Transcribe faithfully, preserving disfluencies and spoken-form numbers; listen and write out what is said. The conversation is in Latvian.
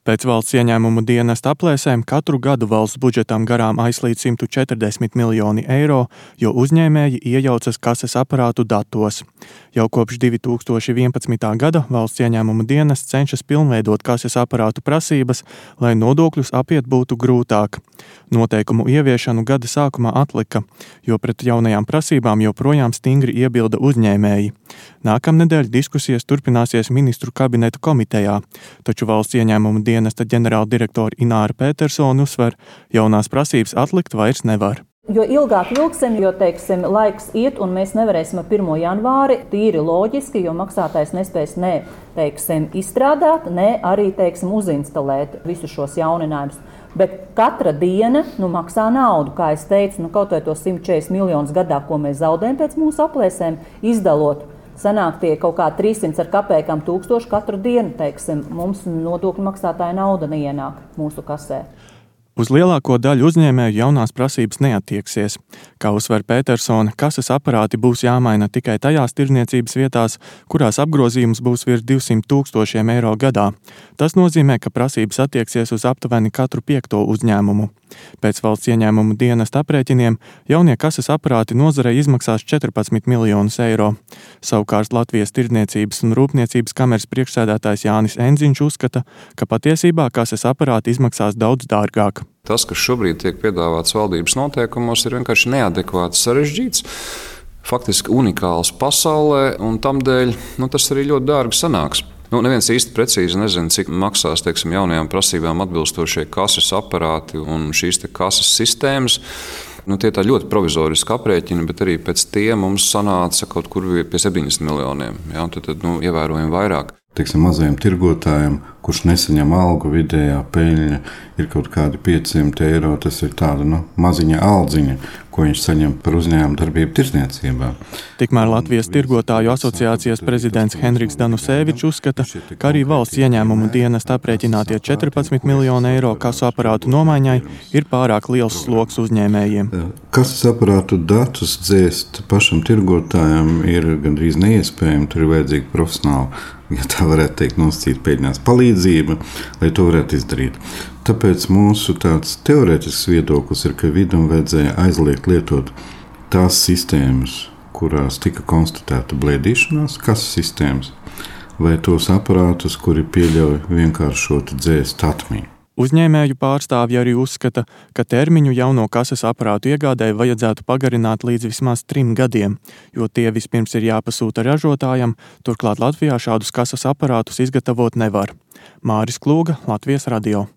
Pēc valsts ieņēmumu dienesta aplēsēm katru gadu valsts budžetam garām aizslīd simt četrdesmit miljoni eiro, jo uzņēmēji iejaucas kases aparātu datos. Jau kopš divi tūkstoši vienpadsmitā gada valsts ieņēmumu dienests cenšas pilnveidot kases aparātu prasības, lai nodokļus apiet būtu grūtāk. Noteikumu ieviešanu gada sākumā atlika, jo pret jaunajām prasībām joprojām stingri iebilda uzņēmēji. Nākamnedēļ diskusijas turpināsies ministru kabineta komitejā, taču valsts ieņēmumu dienesta ģenerāla direktora Ināra Petersone uzsver, jaunās prasības atlikt vairs nevar. Jo ilgāk vilksim, jo, teiksim, laiks iet un mēs nevarēsim ar pirmo janvāri tīri loģiski, jo maksātājs nespēs ne, teiksim, izstrādāt, ne arī, teiksim, uzinstalēt visus šos jauninājumus. Bet katra diena nu, maksā naudu, kā es teicu, nu, kaut vai to simt četrdesmit miljonus gadā, ko mēs zaudējam pēc mūsu aplēsēm, izdalot. Sanāk tie kaut kā trīssimts ar kapēkām tūkstoši katru dienu, teiksim, mums nodokļu maksātāja nauda neienāk mūsu kasē. Uz lielāko daļu uzņēmēju jaunās prasības neattieksies. Kā uzsver Petersone, kases aparāti būs jāmaina tikai tajās tirdzniecības vietās, kurās apgrozījums būs virs divsimt tūkstošiem eiro gadā. Tas nozīmē, ka prasības attieksies uz aptuveni katru piekto uzņēmumu. Pēc valsts ieņēmumu dienesta aprēķiniem jaunie kases aparāti nozarei izmaksās četrpadsmit miljonus eiro. Savukārt Latvijas tirdzniecības un rūpniecības kameras priekšsēdētājs Jānis Enziņš uzskata, ka patiesībā kases aparāti izmaksās daudz dārgāk. Tas, kas šobrīd tiek piedāvāts valdības noteikumos, ir vienkārši neadekvāti sarežģīts, faktiski unikāls pasaulē, un tamdēļ nu, tas arī ļoti dārgi sanāks. Nu, neviens īsti precīzi nezina, cik maksās teiksim, jaunajām prasībām atbilstošie kases aparāti un šīs te kases sistēmas. Nu, tie tā ļoti provizoriski aprēķini, bet arī pēc tiem mums sanāca kaut kur pie septiņdesmit miljoniem. Ja? Tad, tad nu, ievērojami vairāk. Teiksim, mazajam tirgotājam, kurš nesaņem algu, vidējā peļņa ir kaut kādi piecsimt eiro. Tas ir tāda nu, maziņa aldziņa, ko viņš saņem par uzņēmumu darbību tirdzniecībā. Tikmēr Latvijas tirgotāju asociācijas prezidents Henriks Danusēvičs uzskata, ka arī valsts ieņēmumu dienesta aprēķinātie četrpadsmit miljoni eiro kasu aparātu nomaiņai ir pārāk liels sloks uzņēmējiem. Kases aparātu datus dzēst pašam tirgotājam ir gandrīz neiespējami, tur ir vajadzīgi profesionāli, ja tā varētu teikt, nosacīt peļņās palīdzība, lai to varētu izdarīt. Tāpēc mūsu tāds teorētisks viedoklis ir, ka vidum vajadzēja aizliegt lietot tās sistēmas, kurās tika konstatēta blēdīšanās, kases sistēmas, vai tos aparātus, kuri pieļauj vienkāršotu dzēst atmiņu. Uzņēmēju pārstāvji arī uzskata, ka termiņu jauno kases aparātu iegādēji vajadzētu pagarināt līdz vismaz trim gadiem, jo tie vispirms ir jāpasūta ražotājam, turklāt Latvijā šādus kases aparātus izgatavot nevar. Māris Klūga, Latvijas radio.